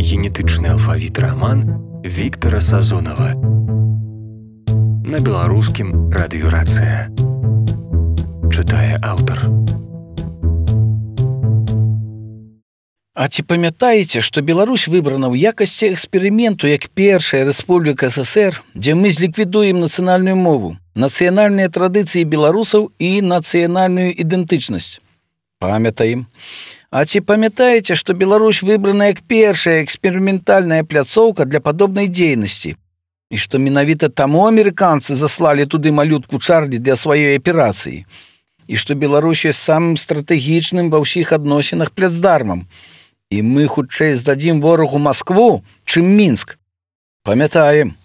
генетычны алфавіт раман Віктара Сазонава. На беларускім радыёрацыя. Чытае аўтар. А ці памятаеце, што Беларусь выбрана ў якасці эксперыменту як першая рэспубліка СССР, дзе мы зліквідуем нацыянальную мову, нацыянальныя традыцыі беларусаў і нацыянальную ідэнтычнасць? Памятаем. А ці памятаеце, што Беларусь выбрана як першая эксперыментальная пляцоўка для падобнай дзейнасці? І што менавіта таму амерыканцы заслалі туды малютку Чарлі для сваёй аперацыі? І што Беларусь ёсць самым стратэгічным ва ўсіх адносінах пляцдармам? І мы хутчэй здадзім ворагу Маскву, чым Мінск. Памятаем.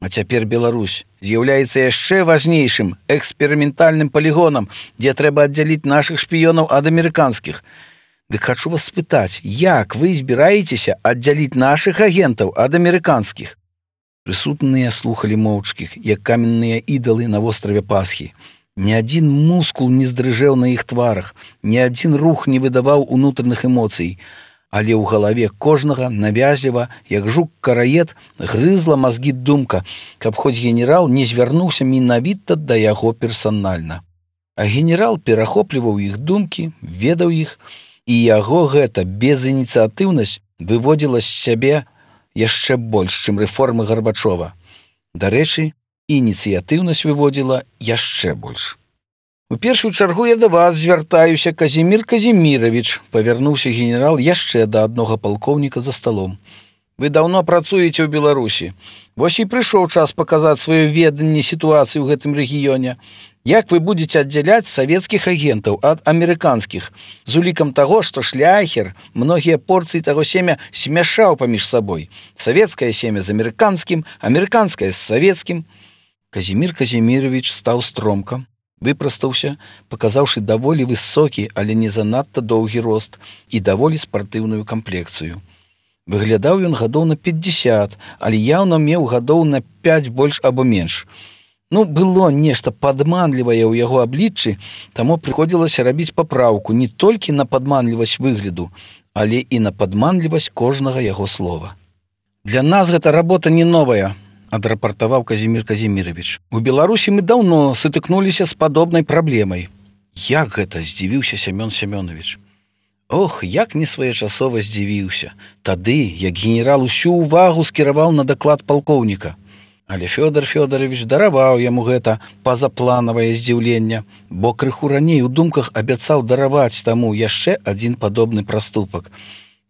А цяпер Беларусь з'яўляецца яшчэ важнейшым эксперыментальным палігонам, дзе трэба аддзяліць нашых шпіёнаў ад амерыканскіх. Дык хачу вас спытаць, як вы збіраецеся аддзяліць нашых агентаў ад амерыканскіх? Прысутныя слухалі моўчкі, як каменныя ідалы на востраве Пасхі. Ні адзін мускул не здрыжэў на іх тварах, ні адзін рух не выдаваў унутраных эмоцый. Але ў галаве кожнага навязліва, як жук-караед, грызла мазгі думка, каб хоць генерал не звярнуўся менавіта да яго персанальна. А генерал перахопліваў іх думкі, ведаў іх, і яго гэта безініцыятыўнасць выводзіла з сябе яшчэ больш, чым рэформы Гарбачова. Дарэчы, ініцыятыўнасць выводзіла яшчэ больш. У першую чаргу я да вас звяртаюся, Казімір Казімірович, павярнуўся генерал яшчэ да аднога палкоўніка за сталом. Вы даўно працуеце ў Беларусі. Вось і прыйшоў час паказаць сваё веданне сітуацыі ў гэтым рэгіёне. Як вы будзеце аддзяляць савецкіх агентаў ад амерыканскіх, з улікам таго, што Шляхер многія порцыі таго семя смяшаў паміж сабой. Савецкае семя з амерыканскім, амерыканскае з савецкім. Казімір Казімірович стаў стромка, выпрастаўся, паказаўшы даволі высокі, але не занадта доўгі рост і даволі спартыўную камплекцыю. Выглядаў ён гадоў на 50, але яўна меў гадоў на 5 больш або менш. Было нешта падманлівае ў яго абліччы, таму прыходзілася рабіць папраўку не толькі на падманлівасць выгляду, але і на падманлівасць кожнага яго слова. Для нас гэта работа не новая, адрапартаваў Казімір Казімірович. У Беларусі мы даўно сутыкнуліся з падобнай праблемай. Як гэта? Здзівіўся Сямён Сямёнович. Ох, як несвоечасова здзівіўся. Тады, як генерал усю ўвагу скіраваў на даклад палкоўніка. Але Фёдор Фёдорович дараваў яму гэта пазапланавае здзіўленне, бо крыху раней у думках абяцаў дараваць таму яшчэ адзін падобны праступак.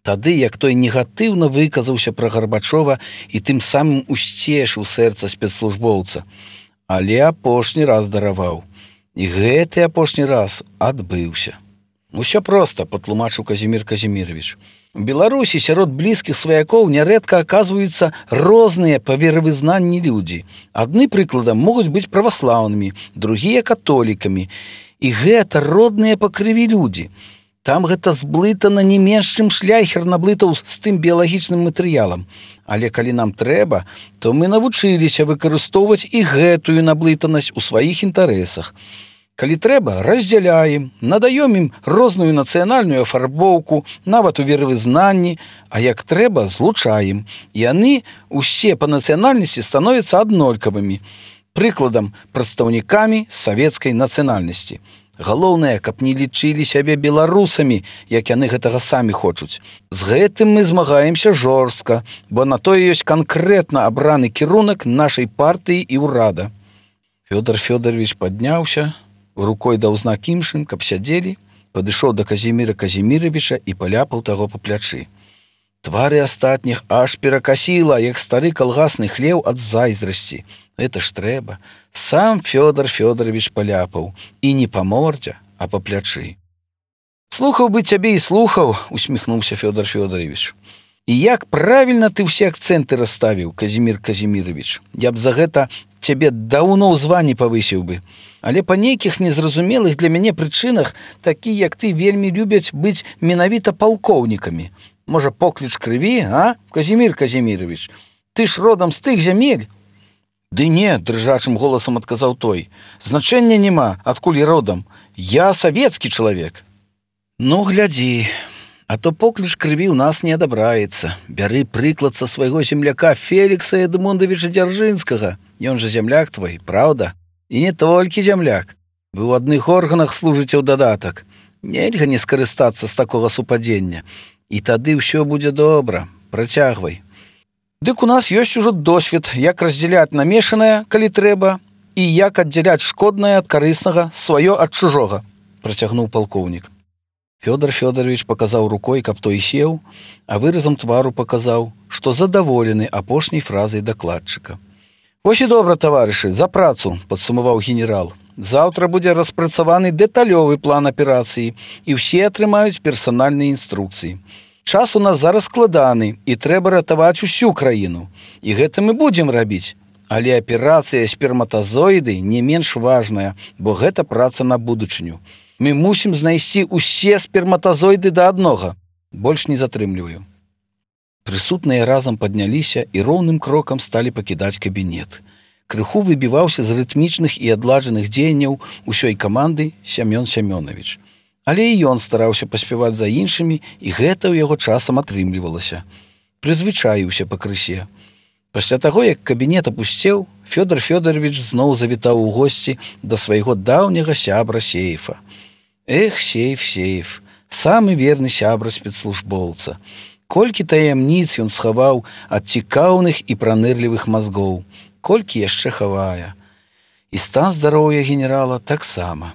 Тады, як той негатыўна выказаўся пра Гарбачова і тым самым усцешыў сэрца спецслужбоўца. Але апошні раз дараваў. І гэты апошні раз адбыўся. Усё проста, патлумачыў Казімір Казімірович. У Беларусі сярод блізкіх сваякоў нярэдка аказваюцца розныя па веравызнанні людзі. Адны, прыкладам, могуць быць праваслаўнымі, другія католікамі. І гэта родныя па крыві людзі. Там гэта зблытана не менш, чым Шляхер наблытаў з тым біялагічным матэрыялам. Але калі нам трэба, то мы навучыліся выкарыстоўваць і гэтую наблытанасць у сваіх інтарэсах. Калі трэба, раздзяляем, надаём ім розную нацыянальную афарбоўку, нават у веравызнанні, а як трэба, злучаем. І яны усе па нацыянальнасці становяцца аднолькавымі. Прыкладам, прадстаўнікамі савецкай нацыянальнасці. Галоўнае, каб не лічылі сябе беларусамі, як яны гэтага самі хочуць. З гэтым мы змагаемся жорстка, бо на тое ёсць канкрэтна абраны кірунак нашай партыі і ўрада. Фёдор Фёдорович падняўся, рукой даў знак іншым, каб сядзелі, падышоў да Казіміра Казіміровича і паляпаў таго па плячы. Твары астатніх аж перакасіла, як стары калгасны хлеў ад зайздрасці. Гэта ж трэба. Сам Фёдор Фёдорович паляпаў. І не па мордзе, а па плячы. Слухаў бы цябе і слухаў, усміхнуўся Фёдор Фёдорович. І як правільна ты ўсе акцэнты расставіў, Казімір Казімірович. Я б за гэта цябе даўно ў званні павысіў бы. Але па нейкіх незразумелых для мяне прычынах такі, як ты, вельмі любяць быць менавіта палкоўнікамі. Можа, покліч крыві, а, Казімір Казімірович? Ты ж родам з тых зямель. Ды не, дрыжачым голасам адказаў той. Значэння няма, адкуль я родам. Я савецкі чалавек. Ну, глядзі. А то покліч крыві ў нас не адабраецца. Бяры прыклад са свайго земляка Фелікса Эдмундавіча Дзяржынскага. Ён жа земляк твой, праўда? І не толькі земляк. Вы ў адных органах служыце ў дадатак. Нельга не скарыстацца з такога супадзення. І тады ўсё будзе добра. Працягвай. Дык у нас ёсць ужо досвед, як раздзяляць намешанае, калі трэба, і як аддзяляць шкоднае ад карыснага, сваё ад чужога, працягнуў палкоўнік. Фёдор Фёдорович паказаў рукой, каб той сеў, а выразам твару паказаў, што задаволены апошняй фразай дакладчыка. «Вось і добра, таварышы, за працу», – падсумаваў генерал. «Заўтра будзе распрацаваны дэталёвы план аперацыі, і ўсе атрымаюць персанальныя інструкцыі. Час у нас зараз складаны, і трэба ратаваць усю краіну. І гэта мы будзем рабіць. Але аперацыя сперматазоіды не менш важная, бо гэта праца на будучыню. Мы мусім знайсці ўсе сперматазоіды да аднога. Больш не затрымліваю». Прысутныя разам падняліся і роўным крокам сталі пакідаць кабінет. Крыху выбіваўся з рытмічных і адладжаных дзеянняў усёй каманды Сямён Сямёнович. Але і ён стараўся паспяваць за іншымі, і гэта ў яго часам атрымлівалася. Прызвычаіўся пакрысе. Пасля таго, як кабінет апусцеў, Фёдор Фёдорович зноў завітаў у госці да свайго даўняга сябра Сейфа. Эх, Сейф, самы верны сябра спецслужбоўца. Колькі таямніц ён схаваў ад цікаўных і пранырлівых мазгоў, колькі яшчэ хавае. І стан здароўя генерала таксама.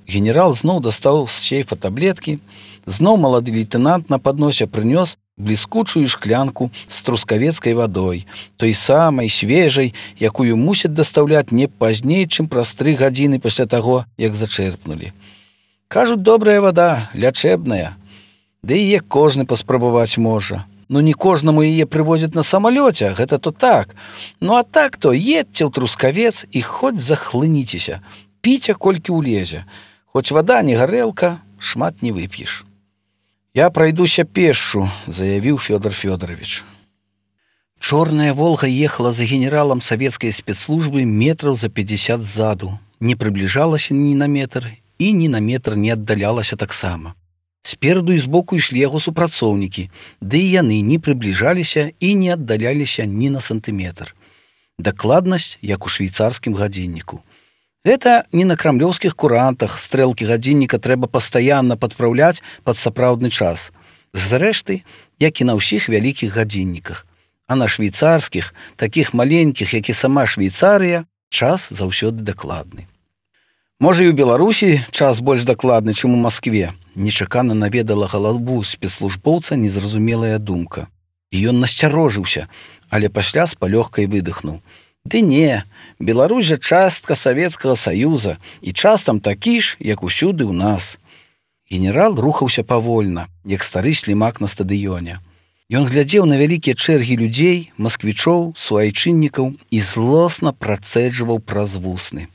Генерал зноў дастаў з сейфа таблеткі, зноў малады лейтэнант на падносе прынёс бліскучую шклянку з трускавецкай вадой, той самай свежай, якую мусяць дастаўляць не пазней, чым праз 3 гадзіны пасля таго, як зачэрпнулі. Кажуць, добрая вада, лячэбная. Ды яе кожны паспрабаваць можа. Ну не кожнаму яе прывозяць на самалёце, гэта то так. Ну а так то едьце ў Трускавец і хоць захлыніцеся. Піце колькі ўлезе. Хоць вада не гарэлка, шмат не вып'еш. «Я пройдуся пешшу», – заявіў Фёдор Фёдорович. Чорная «Волга» ехала за генералам савецкай спецслужбы метраў за 50 ззаду, не прыбліжалася ні на метр і ні на метр не аддалялася таксама. Спераду і збоку ішлі яго супрацоўнікі, ды і яны не прыбліжаліся і не аддаляліся ні на сантыметр. Дакладнасць, як у швейцарскім гадзінніку. Гэта не на крамлёўскіх курантах стрэлкі гадзінніка трэба пастаянна падпраўляць пад сапраўдны час. Зрэшты, як і на ўсіх вялікіх гадзінніках. А на швейцарскіх, такіх маленькіх, як і сама Швейцарыя, час заўсёды дакладны. Можа, і ў Беларусі час больш дакладны, чым у Маскве. Нечакана наведала галаву спецслужбоўца незразумелая думка. І ён насцярожыўся, але пасля з палёгкай выдыхнуў. Ды не, Беларусь жа частка Савецкага Саюза, і час там такі ж, як усюды ў нас. Генерал рухаўся павольна, як стары слімак на стадыёне. Ён глядзеў на вялікія чэргі людзей, масквічоў, суайчыннікаў і злосна працэджваў праз вусны.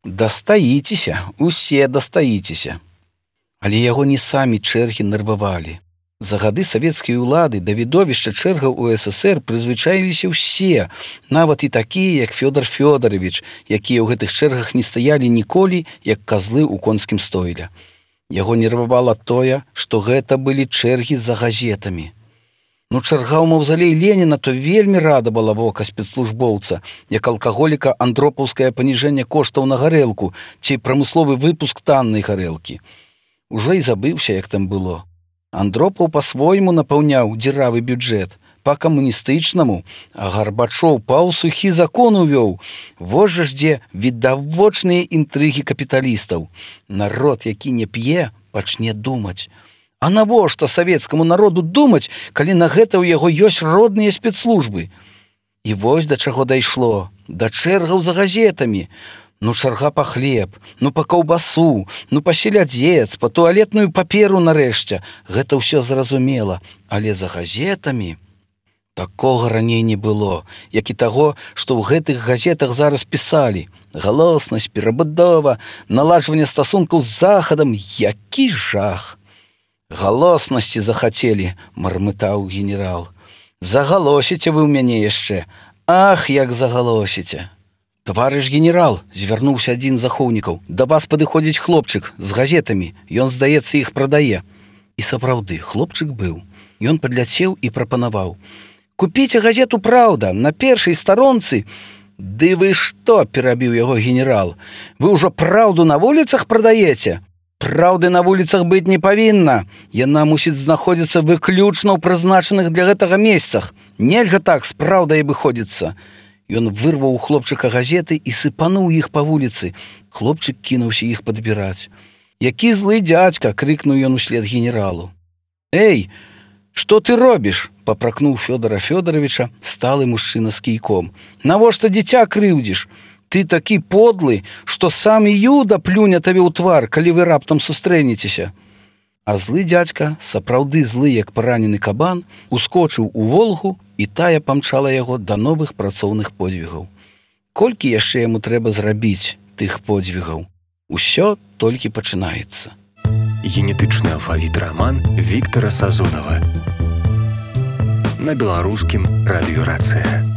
Дастаіцеся, усе дастаіцеся. Але яго не самі чэргі нервавалі. За гады савецкай улады да відовішча чэргаў у СССР прызвычаіліся ўсе, нават і такія, як Фёдор Фёдорович, якія ў гэтых чэргах не стаялі ніколі, як казлы ў конскім стойле. Яго нервавала тое, што гэта былі чэргі за газетамі. Ну, чарга ў маўзалей Леніна то вельмі радавала вока спецслужбоўца, як алкаголіка андропаўскае паніжэнне коштаў на гарэлку ці прамысловы выпуск таннай гарэлкі. Ужо і забыўся, як там было. Андропаў па-свойму напаўняў дзіравы бюджэт, па-камуністычнаму, а Гарбачоў паўсухі закон увёў. Вось жа ж дзе відавочныя інтрыгі капіталістаў. Народ, які не п'е, пачне думаць. А навошта савецкаму народу думаць, калі на гэта ў яго ёсць родныя спецслужбы? І вось да чаго дайшло, да чэргаў за газетамі. Ну чарга па хлеб, ну па каўбасу, ну па селядзец, па туалетную паперу нарэшце. Гэта ўсё зразумела, але за газетамі такога раней не было, як і таго, што ў гэтых газетах зараз пісалі. Галоснасць, перабудова, наладжванне стасункаў з захадам, які жах! «Галоснасці захацелі», – мармытаў генерал. «Загалосіце вы ў мяне яшчэ. Ах, як загалосіце!» «Таварыш генерал», – звярнуўся адзін з ахоўнікаў, – «да вас падыходзіць хлопчык з газетамі. Ён, здаецца, іх прадае». І сапраўды, хлопчык быў. Ён падляцеў і прапанаваў: «Купіце газету «Праўда» на першай старонцы». «Ды вы што?» – перабіў яго генерал. «Вы ўжо праўду на вуліцах прадаеце? Праўды на вуліцах быць не павінна. Яна мусіць знаходзіцца выключна ў прызначаных для гэтага месцах. Нельга так з праўдай абыходзіцца». Ён вырваў у хлопчыка газеты і сыпануў іх па вуліцы. Хлопчык кінуўся іх падбіраць. «Які злы дзядзька!» – крыкнуў ён услед генералу. «Эй, што ты робіш?» – папракнуў Фёдора Фёдоровича сталы мужчына з кійком. «Навошта дзіця крыўдзіш? Ты такі подлы, што сам Юда плюне табе ў твар, калі вы раптам сустрэнецеся». А злы дзядзька, сапраўды злы, як паранены кабан, ускочыў у Волгу, і тая памчала яго да новых працоўных подзвігаў. Колькі яшчэ яму трэба зрабіць тых подзвігаў? Усё толькі пачынаецца. Генетычны алфавіт раман Віктара Сазонава. На беларускім радыё «Рацыя».